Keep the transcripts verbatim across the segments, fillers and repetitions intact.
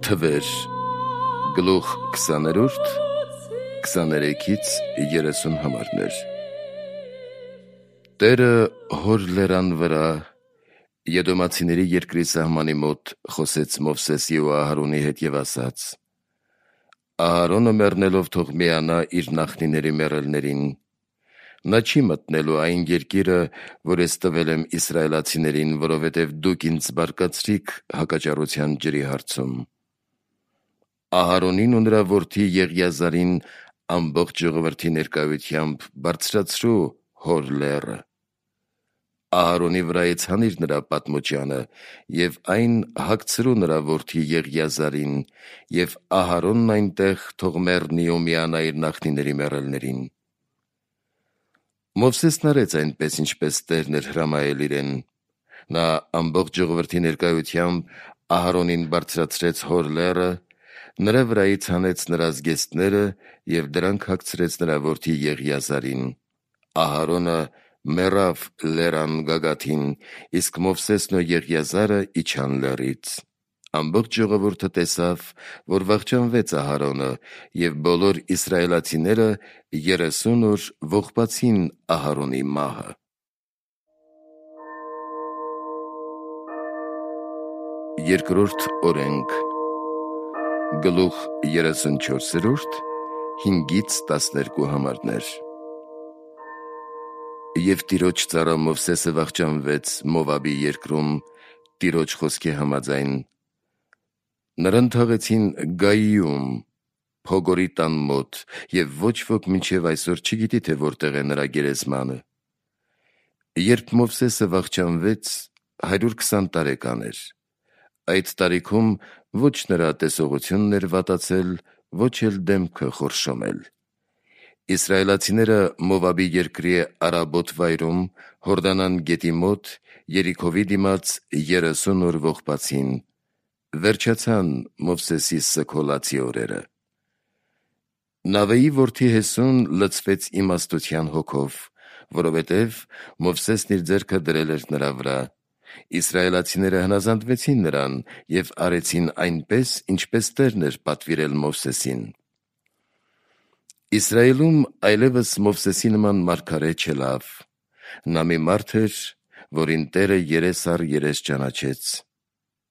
Թվեր գլուխ քսաներորդ քսաներեքից երեսուն համարներ։ Տերը հոր լերան վրա Եդոմացիների երկրի սահմանի մոտ խոսեց Մովսեսի ու Ահարոնի հետ և ասաց. Ահարոնը մեռնելով թող միանա իր նախնիների մեռելներին, նա չի մտնելու այն երկիրը, որ ես տվել եմ իսրայելացիներին, որովհետև դուք ինձ բարկացրիք հակաճառության ջրի հարցում։ Ահարոնին ու նրա որդի Եղիազարին ամբողջ ժողովրդի ներկայությամբ բարձրացրու հոր լեռը։ Ահարոնի վրայից հանիր նրա պատմուճանը և այն հագցրու նրա որդի Եղիազարին, և Ահարոնն այնտեղ թող մեռնի ու միանա իր նախնիների մեռելներին։ Մովսեսն արեց այնպես, ինչպես Տերն էր հրամայել իրեն։ Նա ամբողջ ժողովրդի ներկայությամբ Ահարոնին բարձրացրեց հոր լեռը, նրա վրայից հանեց նրա զգեստները և դրանք հագցրեց նրա որդի Եղիազարին։ Ահարոնը մեռավ լեռան գագաթին, իսկ Մովսեսն ու Եղիազարը իջան լեռից։ Ամբողջ ժողովուրդը տեսավ, որ վախճանվեց Ահարոնը, և բոլոր իսրայելացիները երեսուն օր ողբացին Ահարոնի մահը։ Երկրորդ օրենք գլուխ երեսունչորսերորդ հինգից տասներկու համարներ։ Եվ Տիրոջ ծառա Մովսեսը վախճանվեց Մովաբի երկրում Տիրոջ խոսքի համաձայն։ Նրան թաղեցին Գայիում, Փոգորի տան մոտ, և ոչ ոք մինչև այսօր չգիտի, թե որտեղ է նրա գերեզմանը։ Երբ Մովսեսը վախճանվեց, հարյուր քսան տարեկան էր։ Այդ տարիքում ոչ նրա տեսողությունն էր վատացել, ոչ էլ դեմքը խորշոմել։ Իսրայելացիները Մովաբի երկրի արաբոտ վայրում, Հորդանան գետի մոտ, Երիքովի դիմաց երեսուն օր ողբացին։ Վերջացան Մովսեսի սգոլացի օրերը։ Նավեի որդի Հեսուն լցվեց իմաստության հոգով, որովհետև Մովսեսն իր ձեռքը դրել էր նրա վրա։ Իսրայելացիները հնազանդվեցին նրան և արեցին այնպես, ինչպես Տերն էր պատվիրել Մովսեսին։ Իսրայելում այլևս Մովսեսի նման մարգարե չելավ։ Նա մի մարդ էր, որին Տերը երես առ երես ճանաչեց։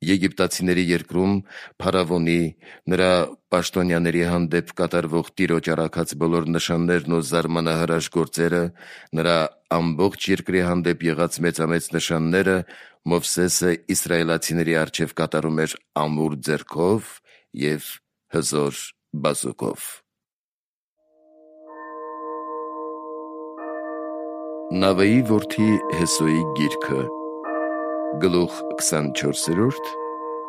Եգիպտացիների երկրում Փարավոնի, նրա պաշտոնյաների հանդեպ կատարվող Տիրոջ առաքած բոլոր նշաններն ու զարմանահրաշ գործերը, նրա ամբողջ երկրի հանդեպ եղած մեծամեծ նշանները Մովսեսը իսրայելացիների առջև կատարում էր ամուր ձեռքով և հզոր բազուկով։ Նավեի որդի Հեսուի գիրքը գլուխ քսանչորսերորդ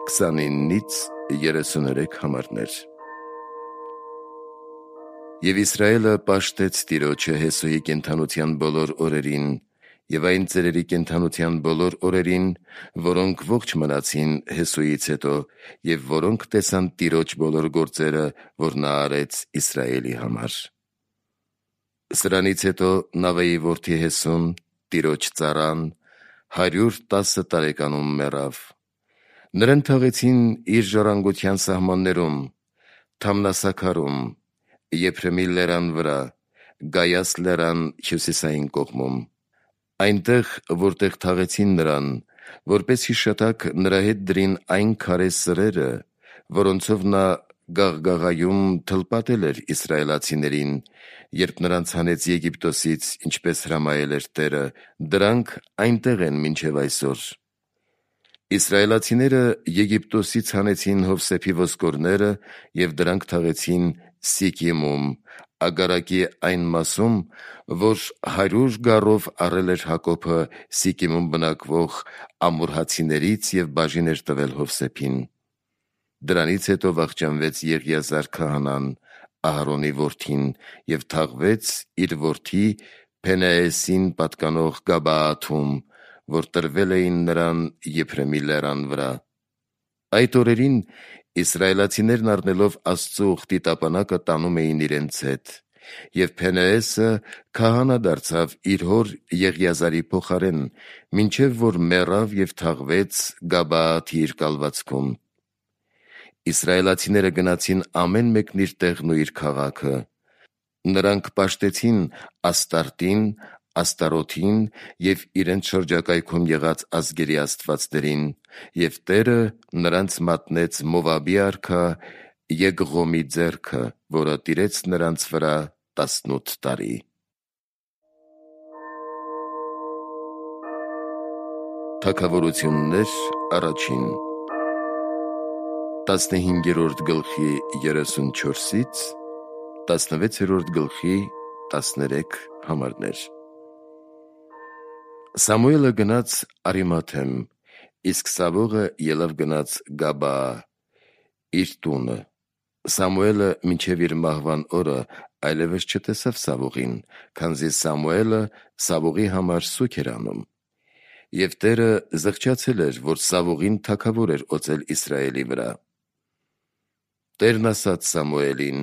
քսանինից երեսուներեք համարներ։ Եվ Իսրայելը պաշտեց Տիրոջը Հեսուի կենդանության բոլոր օրերին և այն ծերերի կենդանության բոլոր օրերին, որոնք ողջ մնացին Հեսուից հետո և որոնք տեսան Տիրոջ բոլոր գործերը, որ նա արեց Իսրայելի համար։ Սրանից հետո Նավեի որդի Հեսուն, Տիրոջ ծառան, հարյուր տասը տարեկանում մեռավ։ Նրան թաղեցին իր ժառանգության սահմաններում, Թամնասաքարում, Եփրեմի լեռան վրա, Գայաս լեռան հյուսիսային կողմում։ Այնտեղ, որտեղ թաղեցին նրան, որպես հիշատակ նրա հետ դրին այն քարե սրերը, որոնցով նա գաղգաղայում թլպատել էր իսրայելացիներին, երբ նրանց հանեց Եգիպտոսից, ինչպես հրամայել էր Տերը, դրանք այնտեղ են մինչև այսօր։ Իսրայելացիները Եգիպտոսից հանեցին Հովսեփի ոսկորները և դրանք թաղեցին Սիկիմում, Ագարակի այն մասում, որ հարյուր գառով առել էր Հակոբը Սիկիմում բնակվող ամորհացիներից և բաժին էր տվել Հովսեփին։ Դրանից հետո վախճանվեց Եղիազար քահանան, Ահարոնի որդին, և թաղվեց իր որդի Փենեեսին պատկանող Գաբաաթում, որ տրվել էին նրան Եփրեմի լեռան վրա։ Այդ օրերին իսրայելացիներն առնելով Աստծու ուխտի տապանակը տանում էին իրենց հետ, և Փենեեսը քահանա դարձավ իր հոր Եղիազարի փոխարեն, մինչև որ մեռավ և թաղվեց Գաբաաթի իր կալվածքում։ Իսրայելացիները գնացին ամեն մեկն իր տեղն ու իր քաղաքը։ Նրանք պաշտեցին Աստարտին, Աստարոթին և իրենց շրջակայքում եղած ազգերի աստվածներին, և Տերը նրանց մատնեց Մովաբի արքա Եգղոմի ձեռքը, որը տիրեց նրանց վրա տասնութ տարի։ Թագավորություններ առաջին տասնհինգերորդ գլխի երեսունչորսից տասնվեցերորդ գլխի տասներեք համարներ։ Սամուելը գնաց Արիմաթեմ, իսկ Սավողը ելավ գնաց Գաբաա, իր տունը։ Սամուելը մինչև իր մահվան օրը այլևս չտեսավ Սավողին, քանզի Սամուելը Սավողի համար սուգ էր անում։ Եվ Տերը զղջացել էր, որ Սավողին թագավոր էր օծել Իսրայելի վրա։ Տերն ասաց Սամուելին.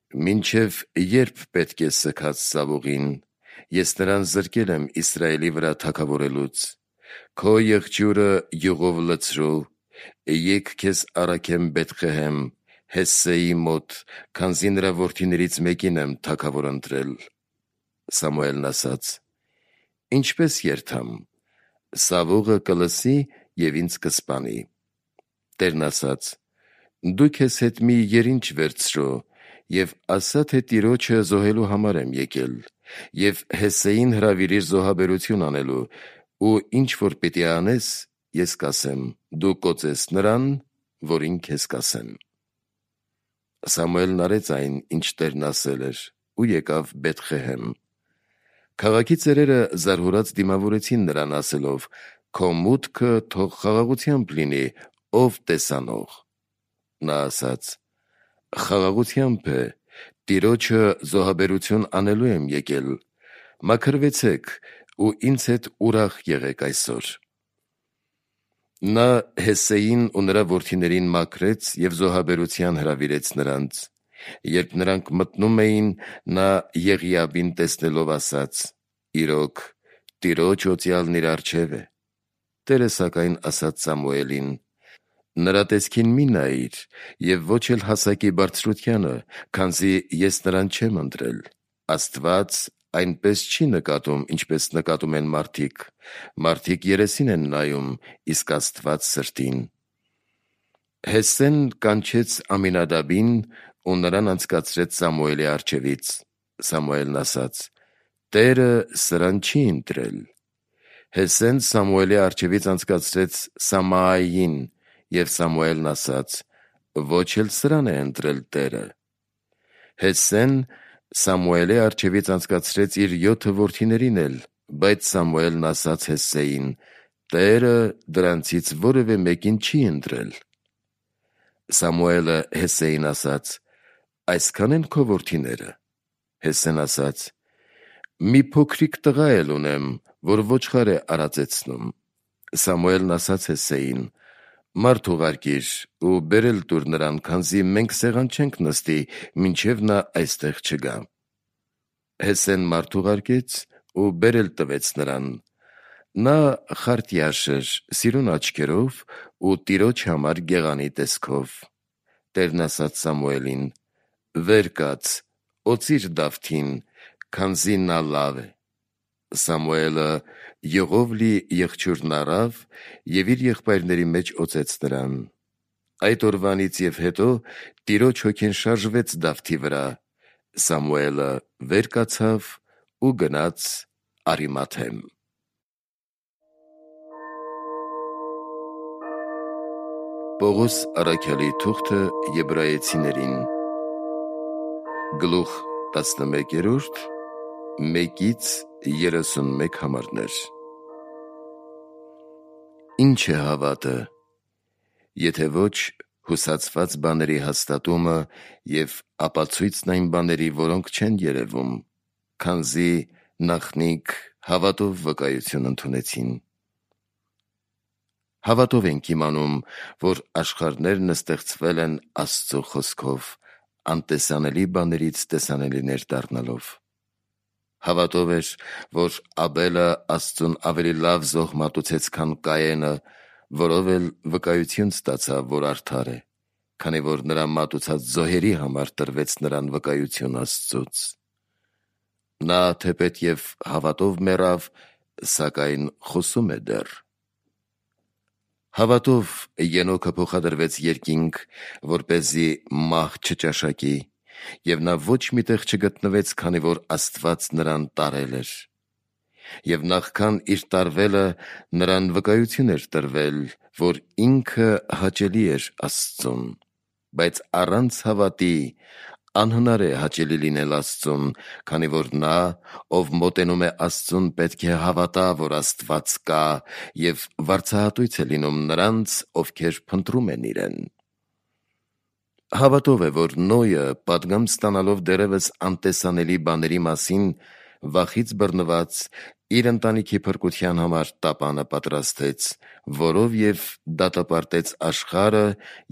«Մինչև երբ պետք է սգաս Սավողին, ես նրան զրկել եմ Իսրայելի վրա թագավորելուց։ Քո եղջյուրը յուղով լցրու, եկ քեզ առաքեմ Բեթղեհեմ, Հեսսեի մոտ, քանզի նրա որդիներից մեկին եմ թագավոր ընտրել»։ Սամուելն ասաց. «Ինչպես երթամ, Սավողը կլսի և ինձ կսպանի»։ Տերն ասաց. «Դու քեզ հետ մի երինչ վերցրու և ասա, թե Տիրոջը զոհելու համար եմ եկել, և Հեսսեին հրավիրիր զոհաբերություն անելու, ու ինչ որ պիտի անես, ես կասեմ, դու կօծես նրան, որին քեզ կասեմ»։ Սամուելն արեց այն, ինչ Տերն ասել էր, ու եկավ Բեթղեհեմ։ Քաղաքի ծերերը զարհուրած դիմավորեցին նրան, ասելով. «Քո մուտքը թող խաղաղությամբ լինի, ով տեսանող»։ Նա ասաց. «Խաղաղությամբ է, Տիրոջը զոհաբերություն անելու եմ եկել, մաքրվեցեք ու ինձ հետ ուրախ եղեք այսօր»։ Նա Հեսսեին ու նրա որդիներին մաքրեց և զոհաբերության հրավիրեց նրանց։ Երբ նրանք մտնում էին, նա Եղիաբին տեսնելով ասաց. «Իրոք, Տիրոջ օծյալն իր առջև է»։ Տերը սակայն ասաց Սամուելին. «Նրա տեսքին մի նայիր և ոչ էլ հասակի բարձրությանը, քանզի ես նրան չեմ ընտրել։ Աստված այնպես չի նկատում, ինչպես նկատում են մարդիկ. մարդիկ երեսին են նայում, իսկ Աստված սրտին»։ Հեսսեն կանչեց Ամինադաբին ու նրան անցկացրեց Սամուելի առջևից։ Սամուելն ասաց. «Տերը սրան չի ընտրել»։ Հեսսեն Սամուելի առջևից անցկացրեց Սամայիին, և Սամուելն ասաց. «Ոչ էլ սրան է ընտրել Տերը»։ Հեսսեն Սամուելի առջևից անցկացրեց իր յոթը որդիներին էլ, բայց Սամուելն ասաց Հեսսեին. «Տերը դրանցից որևէ մեկին չի ընտրել»։ Սամուելը Հեսսեին ասաց. «Այսքա՞ն են քո որդիները»։ Հեսսեն ասաց. «Մի փոքրիկ տղա էլ ունեմ, որ ոչխար է արածեցնում»։ Սամուելն ասաց Հեսսեին. «Մարդ ուղարկիր ու բերել տուր նրան, քանզի մենք սեղան չենք նստի, մինչև նա այստեղ չգա»։ Հեսսեն մարդ ուղարկեց ու բերել տվեց նրան։ Նա խարտյաշ էր, սիրուն աչքերով ու Տիրոջ համար գեղանի տեսքով։ Տերն ասաց Սամուելին. «Վեր կաց, օծիր Դավթին, քանզի նա լավ է»։ Սամուելը յուղով լի եղջյուրն առավ և իր եղբայրների մեջ օծեց նրան։ Այդ օրվանից և հետո Տիրոջ հոգին շարժվեց Դավթի վրա։ Սամուելը վեր կացավ ու գնաց Արիմաթեմ։ Պողոս առաքյալի թուղթը Եբրայեցիներին գլուխ տասնմեկերորդ մեկից երեսունմեկ համարներ։ Ինչ է հավատը, եթե ոչ հուսացված բաների հաստատումը և ապացույցն այն բաների, որոնք չեն երևում, քանզի նախնիկ հավատով վկայություն ընդունեցին։ Հավատով ենք իմանում, որ աշխարհներն ստեղծվել են Աստծո խոսքով, անտեսանելի բաներից տեսանելիներ դառնալով։ Հավատով էր, որ Աբելը Աստծուն ավելի լավ զոհ մատուցեց, քան Կայենը, որով էլ վկայություն ստացավ, որ արդար է, քանի որ նրա մատուցած զոհերի համար տրվեց նրան վկայություն Աստծուց։ Նա թեպետև հավատով մեռավ, սակայն խոսում է դեռ։ Հավատով Ենոքը փոխադրվեց երկինք, որպեսզի մահ չճաշակի, և նա ոչ միտեղ չգտնվեց, քանի որ Աստված նրան տարել էր։ Եվ նախքան իր տարվելը նրան վկայություն էր տրվել, որ ինքը հաճելի էր Աստծուն, բայց առանց հավատի անհնար է հաճելի լինել Աստծուն, քանի որ նա, ով մոտենում է Աստծուն, պետք է հավատա, որ Աստված կա, և վարձահատույց է լինում նրանց, ովքեր փնտրում են իրեն։ Հավատով է, որ Նոյը, պատգամ ստանալով դեռևս անտեսանելի բաների մասին, վախից բռնված, իր ընտանիքի փրկության համար տապանը պատրաստեց, որով և դատապարտեց աշխարհը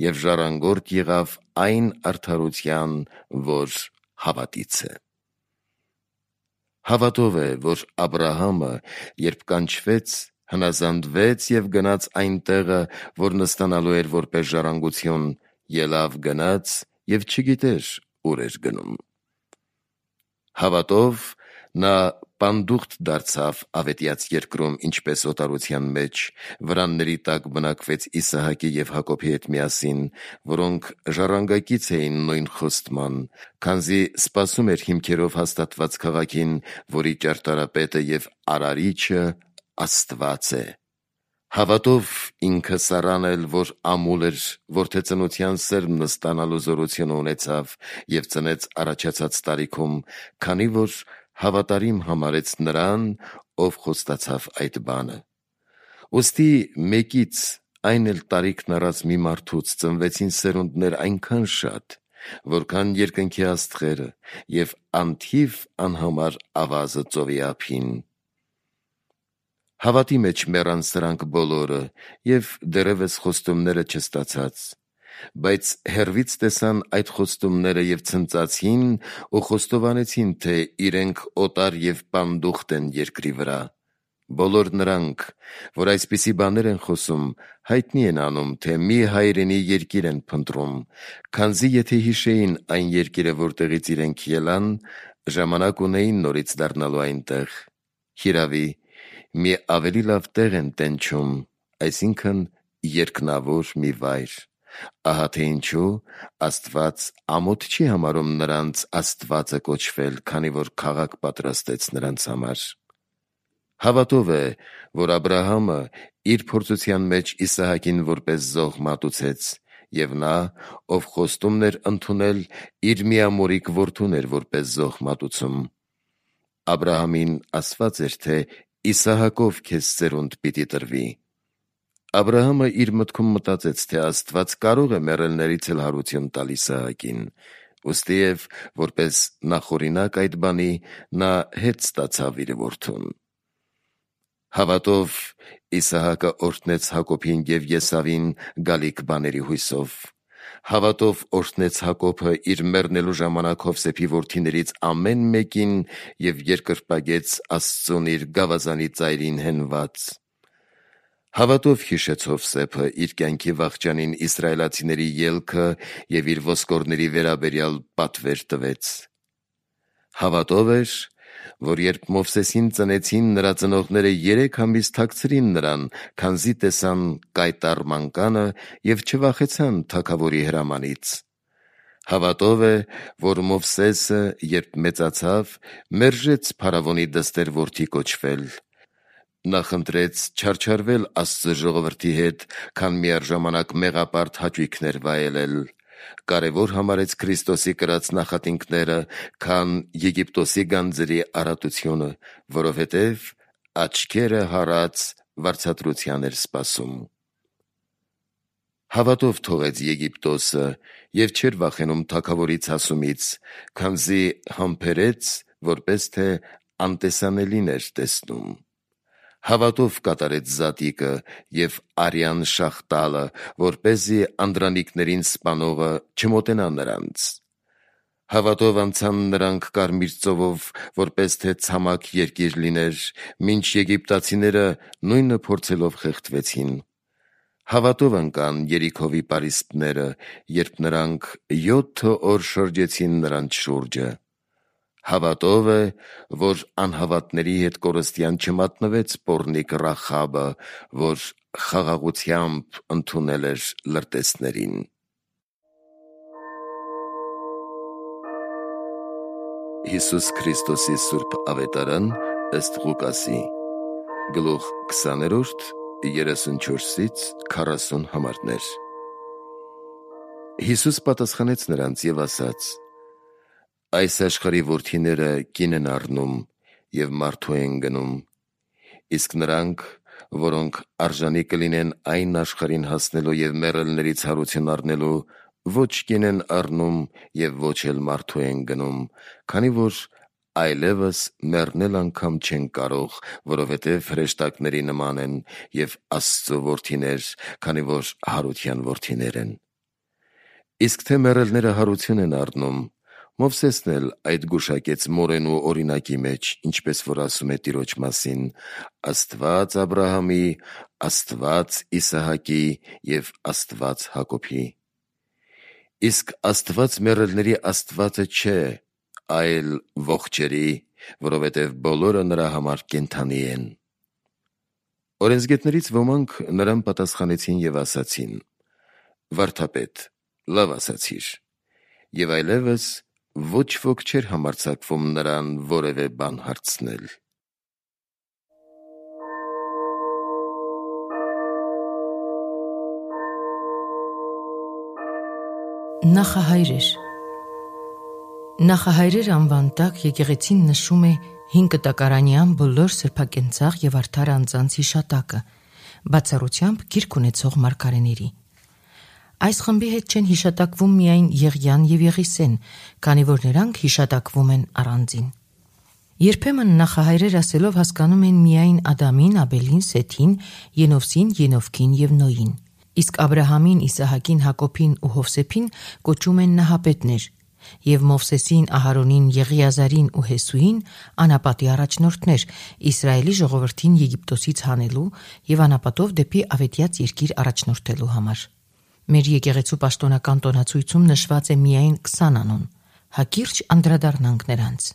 և ժառանգորդ եղավ այն արդարության, որ հավատից է։ Հավատով է, որ Աբրահամը, երբ կանչվեց, հնազանդվեց և գնաց այն տեղը, որ նստանալու էր որպես ժառանգություն, ելավ գնաց և չգիտեր ուր էր գնում։ Հավատով նա պանդուխտ դարձավ ավետյաց երկրում, ինչպես օտարության մեջ, վրանների տակ բնակվեց Իսահակի և Հակոբի հետ միասին, որոնք ժառանգակից էին նույն խոստման, քանզի սպասում էր հիմքերով հաստատված քաղաքին, որի ճարտարապետը և արարիչը Աստված է։ Հավատով ինքը Սառան էլ, որ ամուլ էր, որդեծնության սերմն ստանալու զորությունը ունեցավ և ծնեց առաջացած տարիքում, քանի որ հավատարիմ համարեց նրան, ով խոստացավ այդ բանը։ Ուստի մեկից, այն էլ տարիքն առած մի մարդուց ծնվեցին սերունդներ այնքան շատ, որքան երկնքի աստղերը և անթիվ անհամար ավազը ծովի ափին։ Հավատի մեջ մեռան սրանք բոլորը և դեռևս խոստումները չստացած, բայց հեռվից տեսան այդ խոստումները և ցնծացին ու խոստովանեցին, թե իրենք օտար և պանդուխտ են երկրի վրա։ Բոլոր նրանք, որ այսպիսի բաներ են խոսում, հայտնի են անում, թե մի հայրենի երկիր են փնտրում, քանզի եթե հիշեին այն երկիրը, որտեղից իրենք ելան, ժամանակ ունեին նորից դառնալու այնտեղ։ Հիրավի, մի ավելի լավ տեղ են տենչում, այսինքն երկնավոր մի վայր։ Ահա թե ինչու Աստված ամոթ չի համարում նրանց Աստվածը կոչվել, քանի որ քաղաք պատրաստեց նրանց համար։ Հավատով է, որ Աբրահամը իր փորձության մեջ Իսահակին որպես զոհ մատուցեց, և նա, ով խոստումն էր ընդունել, իր միամորիկ որդուն էր որպես զոհ մատուցում։ Աբրահամին ասված էր, թե Իսահակով քեզ սերունդ պիտի տրվի։ Աբրահամը իր մտքում մտածեց, թե Աստված կարող է մեռելներից էլ հարություն տալ Իսահակին, ուստի և որպես նախօրինակ այդ բանի, նա հետ ստացավ իր որդուն։ Հավատով Իսահակը օրհնեց Հակոբին և Եսավին գալիք բաների հույսով։ Հավատով օրհնեց Հակոբը իր մեռնելու ժամանակ Հովսեփի որդիներից ամեն մեկին և երկրպագեց Աստծուն իր գավազանի ծայրին հենված։ Հավատով հիշեց Հովսեփը իր կյանքի վախճանին իսրայելացիների ելքը և իր ոսկորների վերաբերյալ պատվեր տվեց։ Հավատով էր, որ երբ Մովսեսին ծնեցին, նրա ծնողները երեք ամիս թաքցրին նրան, քանզի տեսան կայտառ մանկանը և չվախեցան թագավորի հրամանից։ Հավատով է, որ Մովսեսը, երբ մեծացավ, մերժեց փարավոնի դստեր որդի կոչվել։ Նա խնդրեց չարչարվել Աստծո ժողովրդի հետ, քան միառժամանակ մեղապարտ հաճույքներ վայելել։ Կարևոր համարեց Քրիստոսի կրած նախատինքները, քան Եգիպտոսի գանձերի առատությունը, որովհետև աչքերը հառած վարձատրության էր սպասում։ Հավատով թողեց Եգիպտոսը և չէր վախենում թագավորի ցասումից, քանզի համբերեց, որպես թե անտեսանելին էր տեսնում։ Հավատով կատարեց զատիկը և արյան շաղ տալը, որպեսզի անդրանիկներին սպանողը չմոտենա նրանց։ Հավատով անցան նրանք Կարմիր ծովով, որպես թե ցամաք երկիր լիներ, մինչ եգիպտացիները նույնը փորձելով խեղդվեցին։ Հավատով ընկան Երիքովի պարիսպները, երբ նրանք յոթ օր շրջեցին նրանց շուրջը։ Հավատով է, որ անհավատների հետ կորստյան չմատնվեց պոռնիկ Ռախաբը, որ խաղաղությամբ ընդունել էր լրտեսներին։ Հիսուս Քրիստոսի Սուրբ Ավետարան ըստ Ղուկասի, գլուխ քսաներորդ, երեսունչորսից քառասուն համարներ։ Հիսուս պատասխանեց նրանց և ասաց. «Այս աշխարհի որդիները կին են առնում և մարդու են գնում, իսկ նրանք, որոնք արժանի կլինեն այն աշխարհին հասնելու և մեռելների ցարություն առնելու, ոչ կին են առնում և ոչ էլ մարդու են գնում, քանի որ այլևս մեռնել անգամ չեն կարող, որովհետև հրեշտակների նման են և Աստծու որդիներ, քանի որ հարության որդիներ են։ Իսկ թե մեռելները հարություն են առնում, Մովսեսն էլ այդ գուշակեց մորենու օրինակի մեջ, ինչպես որ ասում է Տիրոջ մասին. Աստված Աբրահամի, Աստված Իսահակի և Աստված Հակոբի։ Իսկ Աստված մեռելների Աստվածը չէ, այլ ողջերի, որովհետև բոլորը նրա համար կենդանի են։ Օրենսգետներից ոմանք նրան պատասխանեցին և ասացին. Վարդապետ, լավ ասացիր։ Եվ այլևս ոչ ոք չէր համարձակվում նրան որևէ բան հարցնել։ Նախահայրեր Նախահայրեր անվան տակ եկեղեցին նշում է հին կտակարանյան բոլոր սրբակենցաղ և արդար անձանց հիշատակը, բացառությամբ գիրք ունեցող մարգարեների։ Այս խմբի հետ չեն հիշատակվում միայն Եղիան և Եղիսեն, քանի որ նրանք հիշատակվում են առանձին։ Երբեմն նախահայրեր ասելով հասկանում են միայն Ադամին, Աբելին, Սեթին, Ենովսին, Ենովքին և Նոյին։ Իսկ Աբրահամին, Իսահակին, Հակոբին ու Հովսեփին կոչում են նահապետներ, և Մովսեսին, Ահարոնին, Եղիազարին ու Հեսուին անապատի առաջնորդներ, Իսրայելի ժողովրդին Եգիպտոսից հանելու և անապատով դեպի ավետյաց երկիր առաջնորդելու համար։ Մեր եկեղեցու պաշտոնական տոնացույցում նշված է միայն քսան անուն, հակիրճ անդրադառնանք նրանց։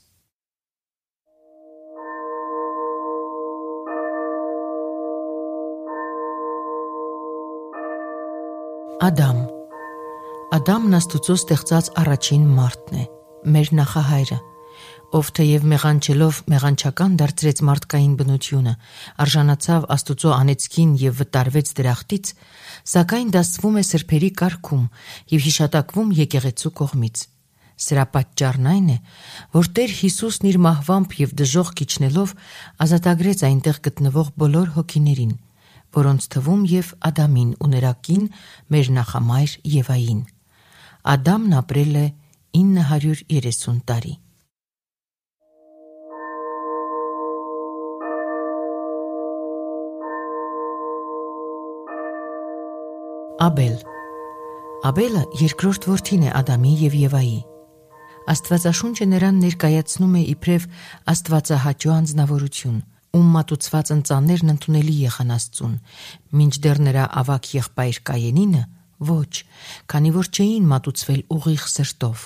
Ադամ Ադամն Աստուծո ստեղծած առաջին մարդն է, մեր նախահայրը, ով թեև մեղանչելով մեղանչական դարձրեց մարդկային բնությունը, արժանացավ Աստուծո անեծքին և վտարվեց դրախտից, սակայն դասվում է սրբերի կարգում և հիշատակվում եկեղեցու կողմից։ Սրա պատճառն այն է, որ Տեր Հիսուսն իր մահվամբ և դժոխք իջնելով ազատագրեց այնտեղ գտնվող բոլոր հոգիներին, որոնց թվում և Ադամին ու նրա կին, մեր նախամայր Եվային։ Ադամն ապրել է ինը հարյուր երեսուն տարի։ Աբել Աբելը երկրորդ որդին է Ադամի և Եվայի։ Աստվածաշունչը նրան ներկայացնում է իբրև աստվածահաճո անձնավորություն, ում մատուցված ընծաներն ընդունելի եղան Աստծուն, մինչդեռ նրա ավագ եղբայր Կայենինը ոչ, քանի որ չէին մատուցվել ուղիղ սրտով։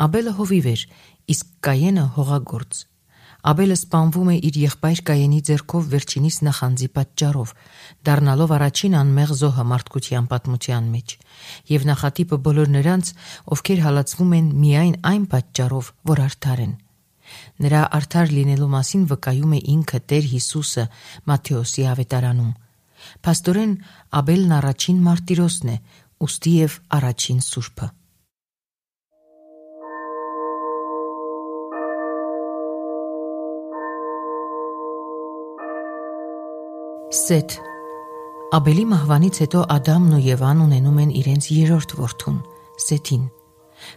Աբելը հովիվ էր, իսկ Կայենը հողագործ։ Աբելը սպանվում է իր եղբայր Կայենի ձեռքով վերջինիս նախանձի պատճառով, դառնալով առաջին անմեղ զոհը մարդկության պատմության մեջ, և նախատիպը բոլոր նրանց, ովքեր հալածվում են միայն այն պատճառով, որ արդար են։ Նրա արդար լինելու մասին վկայում է ինքը Տեր Հիսուսը Մատթեոսի ավետարանում։ Փաստորեն Աբելն առաջին մարտիրոսն է, ուստի և առաջին սուրբը։ Սեթ Աբելի մահվանից հետո Ադամն ու Եվան ունենում են իրենց երրորդ որդուն՝ Սեթին։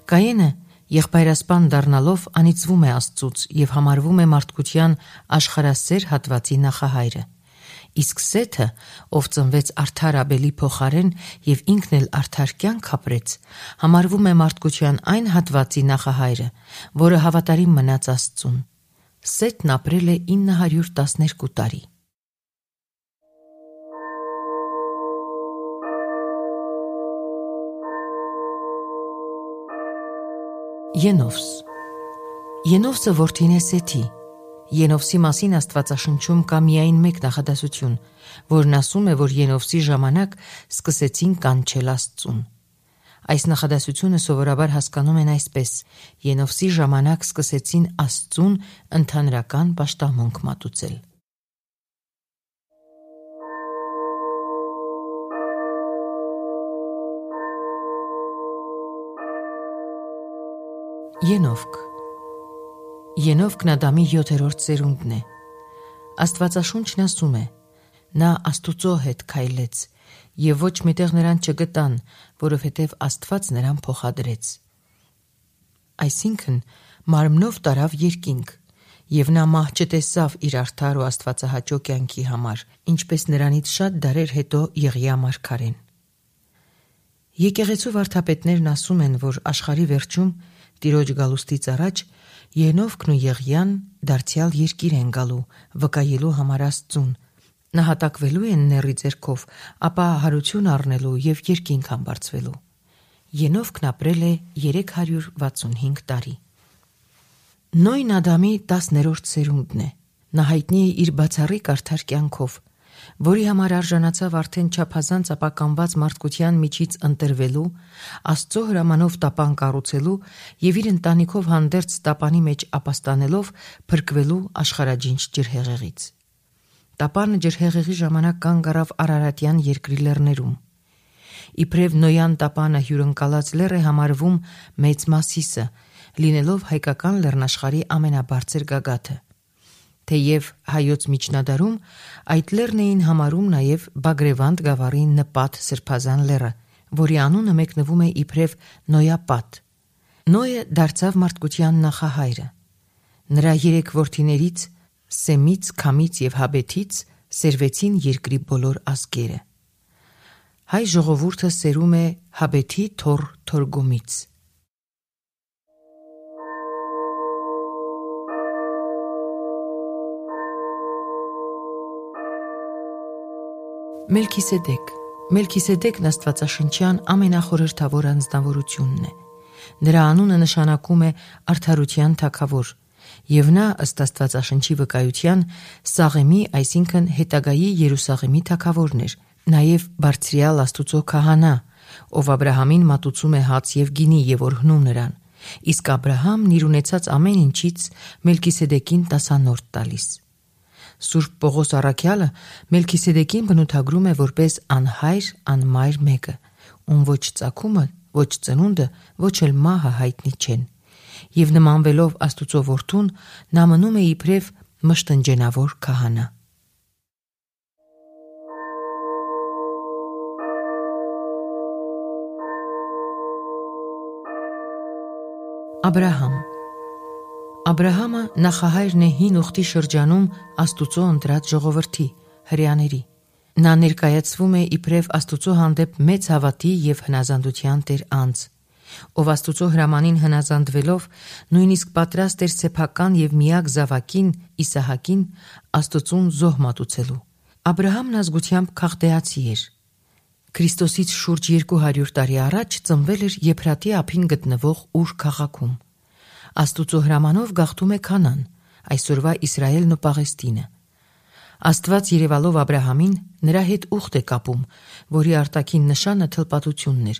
Կայենը եղբայրասպան դառնալով անիծվում է Աստծուց և համարվում է մարդկության աշխարհասեր հատվածի նախահայրը։ Իսկ Սեթը, ով ծնվեց արդար Աբելի փոխարեն և ինքն էլ արդար կյանք ապրեց, համարվում է մարդկության այն հատվածի նախահայրը, որը հավատարիմ մնաց Աստծուն։ Սեթն ապրել է ինը հարյուր տասներկու տարի։ Ենովս Ենովսը որդին է Սեթի։ Ենովսի մասին Աստվածաշնչում կա միայն մեկ նախադասություն, որն ասում է, որ Ենովսի ժամանակ սկսեցին կանչել Աստծուն։ Այս նախադասությունը սովորաբար հասկանում են այսպես. Ենովսի ժամանակ սկսեցին Աստծուն ընդհանրական պաշտամունք մատուցել։ Ենովք Ենովքն Ադամի յոթերորդ սերունդն է։ Աստվածաշունչն ասում է. նա Աստուծո հետ քայլեց, եւ ոչ միտեղ նրան չգտան, որովհետեւ Աստված նրան փոխադրեց։ Այսինքն մարմնով տարավ երկինք, եւ նա մահ չտեսավ իր արդար ու աստվածահաճո կյանքի համար, ինչպես նրանից շատ դարեր հետո Եղիա մարգարեն։ Եկեղեցու վարդապետներն ասում են, որ աշխարհի վերջում Տիրոջ գալուստից առաջ Ենովքն ու Եղիան դարձյալ երկիր են գալու, վկայելու համար Աստծուն, նահատակվելու են նեռի ձեռքով, ապա հարություն առնելու եւ երկինք համբարձվելու։ Ենովքն ապրել է երեք հարյուր վաթսունհինգ տարի։ Նոյն Ադամի տասներորդ սերունդն է։ Նա հայտնի է իր բացառիկ արդար կյանքով, որի համար արժանացավ արդեն չափազանց ապականված մարդկության միջից ընտրվելու, Աստծո հրամանով տապան կառուցելու եւ իր ընտանիքով հանդերձ տապանի մեջ ապաստանելով փրկվելու աշխարհաջինջ ջրհեղեղից։ Տապանը ջրհեղեղի ժամանակ կանգ առավ Արարատյան երկրի լեռներում։ Իբրև Նոյան տապանը հյուրընկալած լեռ է համարվում Մեծ Մասիսը, լինելով հայկական լեռնաշխարհի ամենաբարձր գագաթը։ Թեև հայոց միջնադարում այդ լեռն էին համարում նաև Բագրևանդ գավառի նպատ սրբազան լեռը, որի անունը մեկնվում է իբրև Նոյապատ։ Նոյը դարձավ մարդկության նախահայրը։ Նրա երեք որդիներից՝ Սեմից, Քամից եւ Հաբեթից սերվեցին երկրի բոլոր ազգերը։ Հայ ժողովուրդը սերում է Հաբեթի թոռ Թորգոմից։ Մելքիսեդեկ Մելքիսեդեկն աստվածաշնչյան ամենախորհրդավոր անձնավորությունն է։ Նրա անունը նշանակում է արդարության թագավոր, եւ նա ըստ Աստվածաշնչի վկայության Սաղեմի, այսինքն հետագայի Երուսաղեմի թագավորն էր, նաեւ բարձրյալ Աստուծո քահանա, ով Աբրահամին մատուցում է հաց եւ գինի եւ օրհնում նրան, իսկ Աբրահամն իր ունեցած ամեն ինչից Մելքիսեդեկին տասանորդ տալիս։ Սուրբ Պողոս առաքյալը Մելքիսեդեկին բնութագրում է որպես անհայր, անմայր մեկը, ում ոչ ծագումը, ոչ ծնունդը, ոչ էլ մահը հայտնի չեն, եւ նմանվելով Աստուծո որդուն, նա մնում է իբրև մշտնջենավոր քահանա։ Աբրահամ Աբրահամը նախահայրն է հին ուխտի շրջանում Աստուծո ընտրած ժողովրդի, հրեաների։ Նա ներկայացվում է իբրև Աստուծո հանդեպ մեծ հավատի եւ հնազանդության տեր անձ, ով Աստուծո հրամանին հնազանդվելով նույնիսկ պատրաստ էր սեփական եւ միակ զավակին Իսահակին Աստուծուն զոհ մատուցելու։ Աբրահամն ազգությամբ քաղդեացի էր։ Քրիստոսից շուրջ երկու հարյուր տարի առաջ ծնվել էր Եփրատի ափին գտնվող Ուր քաղաքում։ Աստուծո հրամանով գաղթում է Քանան, այսօրվա Իսրայելն ու Պաղեստինը։ Աստված երևալով Աբրահամին նրա հետ ուխտ է կապում, որի արտաքին նշանը թլպատությունն էր,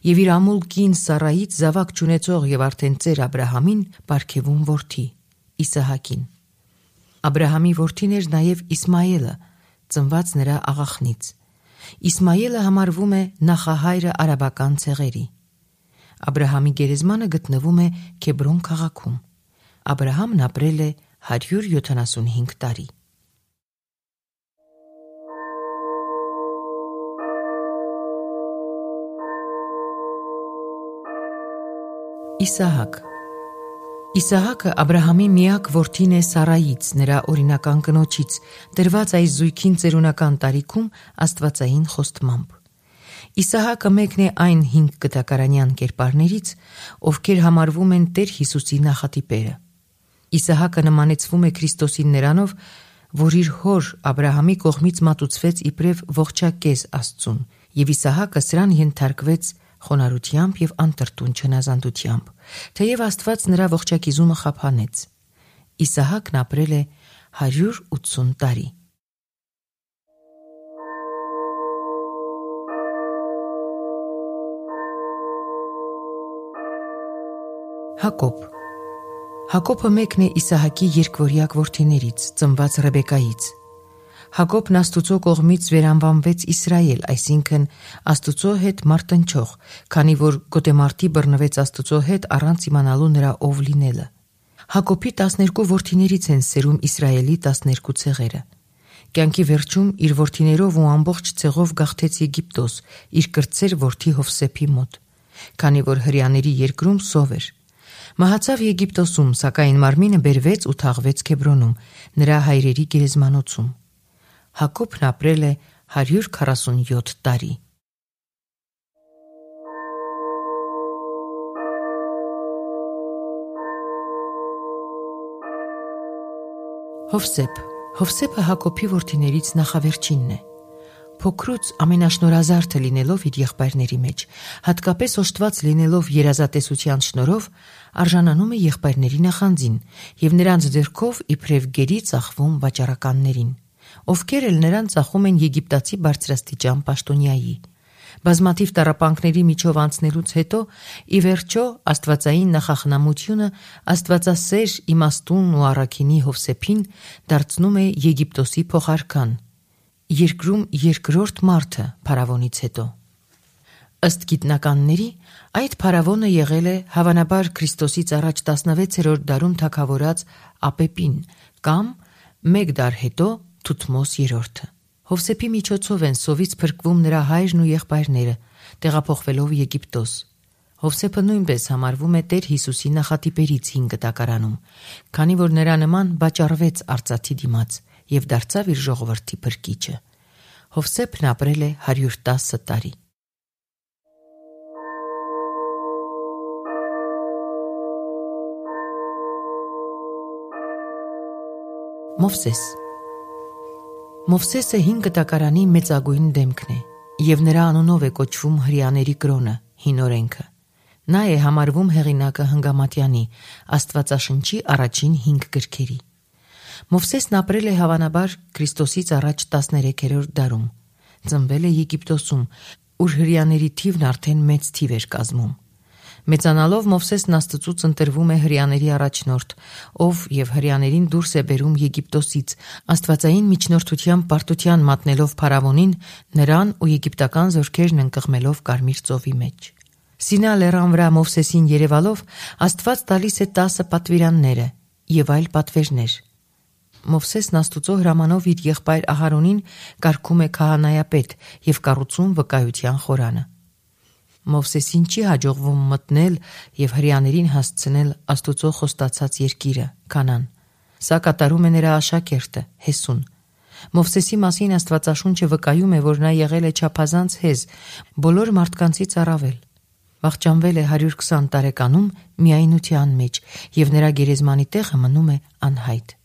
եւ իր ամուլ կին Սառայից զավակ չունեցող եւ արդեն ծեր Աբրահամին պարգևում որդի՝ Իսահակին։ Աբրահամի որդին էր նաեւ Իսմայելը, ծնված նրա աղախնից։ Իսմայելը համարվում է նախահայրը արաբական ցեղերի։ Աբրահամի գերեզմանը գտնվում է Քեբրոն քաղաքում։ Աբրահամն ապրել է հարյուր յոթանասունհինգ տարի։ Իսահակ Իսահակը Աբրահամի միակ որդին է Սառայից, նրա օրինական կնոջից, տրված այս զույգին ծերունական տարիքում աստվածային խոստմամբ։ Իսահակը մեկն է այն հինգ կտակարանյան կերպարներից, ովքեր համարվում են Տեր Հիսուսի նախատիպերը։ Իսահակը նմանեցվում է Քրիստոսին նրանով, որ իր հոր Աբրահամի կողմից մատուցվեց իբրև ողջակեզ Աստծուն, եւ Իսահակը սրան ենթարկվեց խոնարհությամբ եւ անտրտուն չնազանդությամբ, թեև Աստված նրա ողջակիզումը խափանեց։ Իսահակն ապրել է հարյուր ութսուն տարի։ Հակոբ Հակոբը մեկն է Իսահակի երկվորյակ որդիներից, ծնված Ռեբեկայից։ Հակոբն Աստուծո կողմից վերանվանվեց Իսրայել, այսինքն Աստուծո հետ մարտնչող, քանի որ գոտեմարտի բռնվեց Աստուծո հետ առանց իմանալու նրա ով լինելը։ Հակոբի տասներկու որդիներից են սերում Իսրայելի տասներկու ցեղերը։ Կյանքի վերջում իր որդիներով ու ամբողջ ցեղով գաղթեց Եգիպտոս, իր կրտսեր որդի Հովսեփի մոտ, քանի որ հրեաների երկրում սով էր։ Մահացավ Եգիպտոսում, սակայն մարմինը բերվեց ու թաղվեց Քեբրոնում, նրա հայրերի գերեզմանոցում։ Հակոբն ապրել է հարյուր քառասունյոթ տարի։ Հովսեփ Հովսեփը Հակոբի որդիներից նախավերջինն է։ Փոքրուց ամենաշնորհազարդը լինելով իր եղբայրների մեջ, հատկապես օժտված լինելով երազատեսության շնորհով, արժանանում է եղբայրների նախանձին եւ նրանց ձեռքով իբրև գերի ծախվում վաճառականներին, ովքեր էլ նրան ծախում են եգիպտացի բարձրաստիճան պաշտոնյայի։ Բազմաթիվ տառապանքների միջով անցնելուց հետո, ի վերջո, աստվածային նախախնամությունը աստվածասեր, իմաստուն ու առաքինի Հովսեփին դարձնում է Եգիպտոսի փոխարքան, երկրում երկրորդ մարդը փարավոնից հետո։ Ըստ գիտնականների, այդ փարավոնը եղել է հավանաբար Քրիստոսից առաջ տասնվեցերորդ դարում թագավորած Ապեպին կամ մեկ դար հետո Թութմոս երրորդը։ Հովսեփի միջոցով են սովից փրկվում նրա հայրն ու եղբայրները, տեղափոխվելով Եգիպտոս։ Հովսեփը նույնպես համարվում է Տեր Հիսուսի նախատիպերից հին գտակարանում, քանի որ նրա նման վաճառվեց արծաթի դիմաց եւ դարձավ իր ժողովրդի փրկիչը։ Հովսեփն ապրել է հարյուր տասը տարի։ Մովսես Մովսեսը հին գտակարանի մեծագույն դեմքն է եւ նրա անունով է կոչվում հրեաների կրոնը, հին օրենքը։ Նա է համարվում հեղինակը Հնգամատյանի, Աստվածաշնչի առաջին հինգ գրքերի։ Մովսեսն ապրել է հավանաբար Քրիստոսից առաջ տասներեքերորդ դարում։ Ծնվել է Եգիպտոսում, ուր հրեաների թիվն արդեն մեծ թիվ էր կազմում։ Մեծանալով Մովսեսն Աստծուց ընտրվում է հրեաների առաջնորդ, ով եւ հրեաներին դուրս է բերում Եգիպտոսից, աստվածային միջնորդության պարտության մատնելով փարավոնին, նրան ու եգիպտական զորքերն ընկղմելով Կարմիր ծովի մեջ։ Սինա լեռան վրա Մովսեսին երևալով Աստված տալիս է տասը պատվիրանները եւ այլ պատվերներ։ Մովսեսն Աստուծո հրամանով իր եղբայր Ահարոնին կարգում է քահանայապետ եւ կառուցում վկայության խորանը։ Մովսեսին չի հաջողվում մտնել եւ հրեաներին հասցնել Աստուծո խոստացած երկիրը, Քանան։ Սա կատարում է նրա աշակերտը Հեսուն։ Մովսեսի մասին Աստվածաշունչը վկայում է, որ նա եղել է չափազանց հեզ, բոլոր մարդկանցից առավել։ Վախճանվել է հարյուր քսան տարեկանում միայնության մեջ եւ նրա գերեզմանի տեղը մնում է անհայտ։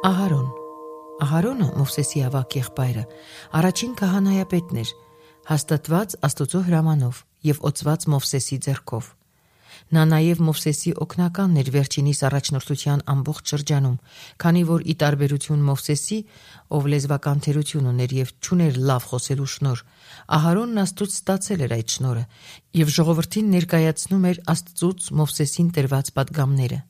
Ահարոն Ահարոնը, Մովսեսի ավագ եղբայրը, առաջին քահանայապետն էր, հաստատված Աստուծո հրամանով եւ օծված Մովսեսի ձեռքով։ Նա նաեւ Մովսեսի օգնականն էր վերջինիս առաջնորդության ամբողջ շրջանում, քանի որ ի տարբերություն Մովսեսի, ով լեզվական թերություն ուներ եւ չուներ լավ խոսելու շնոր, Ահարոնն Աստծուց ստացել էր այդ շնորհը եւ ժողովրդին ներկայացնում էր Աստծուց Մովսեսին տրված պատգամները։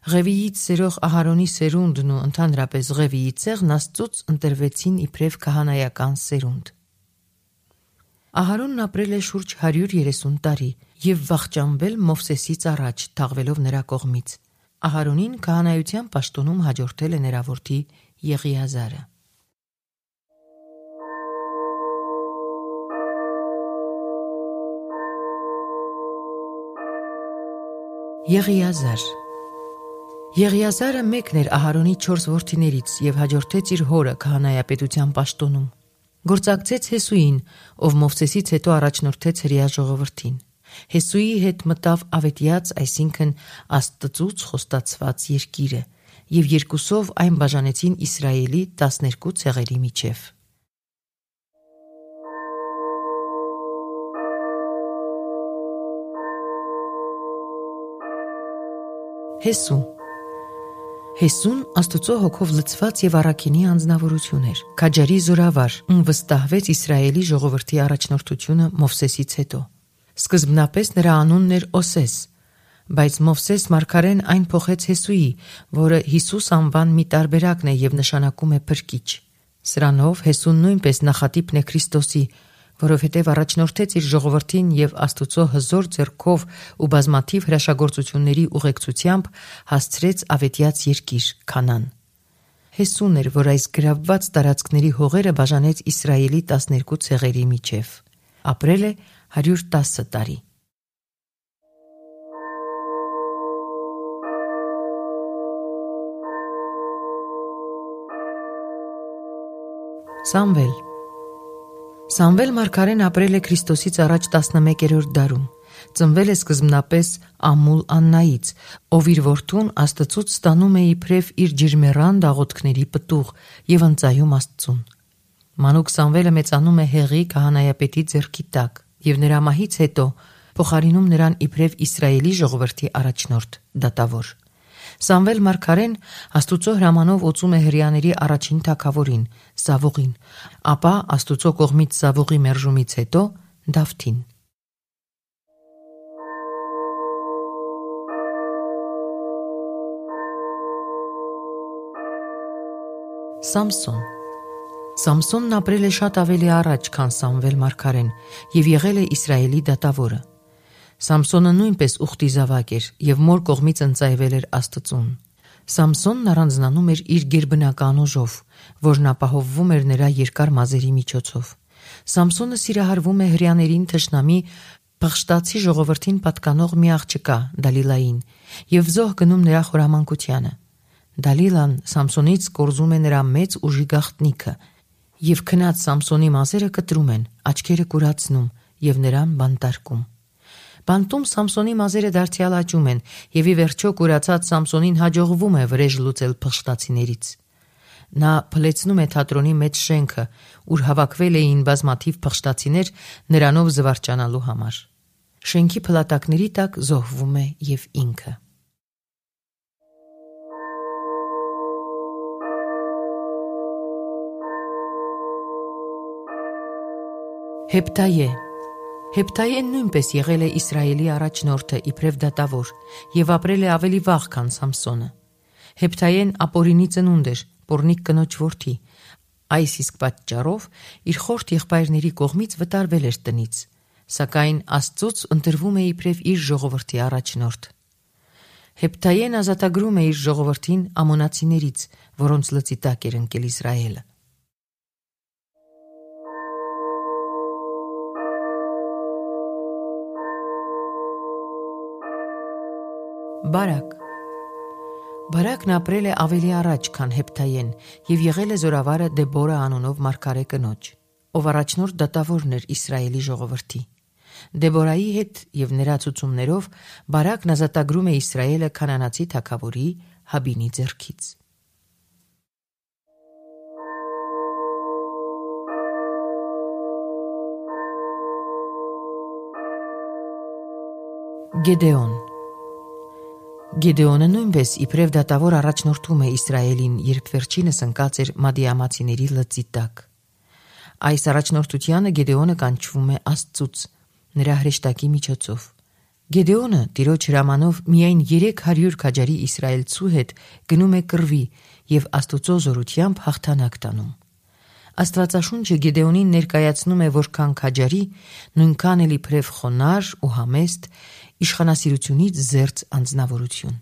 Ղևիից սերող Ահարոնի սերունդն ու ընդհանրապես Ղևիի ցեղն Աստծուց ընտրվեցին իբրև քահանայական սերունդ։ Ահարոնն ապրել է շուրջ հարյուր երեսուն տարի եւ վախճանվել Մովսեսից առաջ, թաղվելով նրա կողմից։ Ահարոնին քահանայության պաշտոնում հաջորդել է նրա որդի Եղիազարը։ Եղիազար Եղիազարը մեկն էր Ահարոնի չորս որդիներից եւ հաջորդեց իր հորը քահանայապետության պաշտոնում։ Գործակցեց Հեսուին, ով Մովսեսից հետո առաջնորդեց հրեա ժողովրդին։ Հեսուի հետ մտավ ավետյաց, այսինքն Աստծուց խոստացված երկիրը, եւ երկուսով այն բաժանեցին Իսրայելի տասներկու ցեղերի միջև։ Հեսու Հեսուն Աստծո հոգով լցված եւ առաքինի անձնավորություն էր, քաջարի զորավար, ում վստահվեց Իսրայելի ժողովրդի առաջնորդությունը Մովսեսից հետո։ Սկզբնապես նրա անունն էր Օսես, բայց Մովսես մարգարեն այն փոխեց Հեսուի, որը Հիսուս անվան մի տարբերակն է եւ նշանակում է փրկիչ։ Սրանով Հեսուն նույնպես նախատիպն է Քրիստոսի, որովհետև առաջնորդեց իր ժողովրդին եւ Աստուծո հզոր ձեռքով ու բազմաթիվ հրաշագործությունների ուղեկցությամբ հասցրեց ավետյաց երկիր Քանան։ Հեսուն էր, որ այս գրավված տարածքների հողերը բաժանեց Իսրայելի տասներկու ցեղերի միջև։ Ապրել է հարյուր տասը տարի։ Սամվել Սամվել մարգարեն ապրել է Քրիստոսից առաջ տասնմեկերորդ դարում։ Ծնվել է սկզբնապես Ամուլ Աննայից, ով իր որդուն Աստծուց ստանում է իբրև իր ջերմեռան դաղոթքների պտուղ եւ ընծայում Աստծուն։ Մանուկ Սամվելը մեծանում է Հեղի քահանայապետի ձեռքի տակ եւ նրա մահից հետո փոխարինում նրան իբրև Իսրայելի ժողովրդի առաջնորդ դատավոր։ Սամվել մարգարեն Աստուծո հրամանով օծում է հրեաների առաջին թագավորին Սավուղին, ապա Աստուծո կողմից Սավուղի մերժումից հետո Դավթին։ Սամսոն Սամսոնն ապրել է շատ ավելի առաջ, քան Սամվել մարգարեն եւ եղել է Իսրայելի դատավորը։ Սամսոնը նույնպես ուխտի զավակ էր եւ մոր կողմից ընծայվել էր Աստծուն։ Սամսոնն առանձնանում էր իր գերբնական ուժով, որն ապահովվում էր նրա երկար մազերի միջոցով։ Սամսոնը սիրահարվում է հրեաներին թշնամի Փղշտացի ժողովրդին պատկանող մի աղջկա Դալիլային եւ զոհ գնում նրա խորամանկությանը։ Դալիլան Սամսոնից կորզում է նրա մեծ ուժի գաղտնիքը եւ քնած Սամսոնի մազերը կտրում են, աչքերը կուրացնում եւ նրան բանտարկում։ Բանտում Սամսոնի մազերը դարձյալ աճում են եւ ի վերջո կուրացած Սամսոնին հաջողվում է վրեժ լուծել փղշտացիներից։ Նա փլեցնում է թատրոնի մեծ շենքը, ուր հավաքվել էին բազմաթիվ փղշտացիներ նրանով զվարճանալու համար։ Շենքի փլատակների տակ զոհվում է եւ ինքը։ Հեպտայե Հեպտայեն նույնպես եղել է Իսրայելի առաջնորդը իբրև դատավոր եւ ապրել է ավելի վաղ, քան Սամսոնը։ Հեպտայեն Ապորինի ծնունդ էր, Պորնիկ կնոջ որդի։ Այս իսկ պատճառով իր խորթ եղբայրների կողմից վտարվել էր տնից, սակայն Աստծուց ընտրվում է իբրև իր ժողովրդի առաջնորդ։ Հեպտայեն ազատագրում է իր ժողովրդին ամոնացիներից, որոնց լծի տակ էր ընկել Իսրայելը։ Բարակ Բարակն ապրել է ավելի առաջ, քան Հեպտայեն եւ եղել է զորավարը Դեբորա անունով մարգարե կնոջ, ով առաջնորդ դատավորն էր Իսրայելի ժողովրդի։ Դեբորայի հետ եւ նրա ցուցումներով Բարակն ազատագրում է Իսրայելը քանանացի թագավորի Հաբինի ձեռքից։ Գեդեոն Գեդեոնը նույնպես իբրև դատավոր առաջնորդում է Իսրայելին, երբ վերջինս ընկած էր մադիամացիների լծի տակ։ Այս առաջնորդությանը Գեդեոնը կանչվում է Աստծուց, նրա հրեշտակի միջոցով։ Գեդեոնը տիրոջ հրամանով միայն երեք հարյուր քաջարի իսրայելցու հետ գնում է կռվի եւ Աստուծո զորությամբ հաղթանակ տանում։ Աստվածաշունչը Գեդեոնին ներկայացնում է որքան քաջարի, նույնքան էլ իբրև խոնարհ ու համեստ, իշխանասիրությունից զերծ անձնավորություն։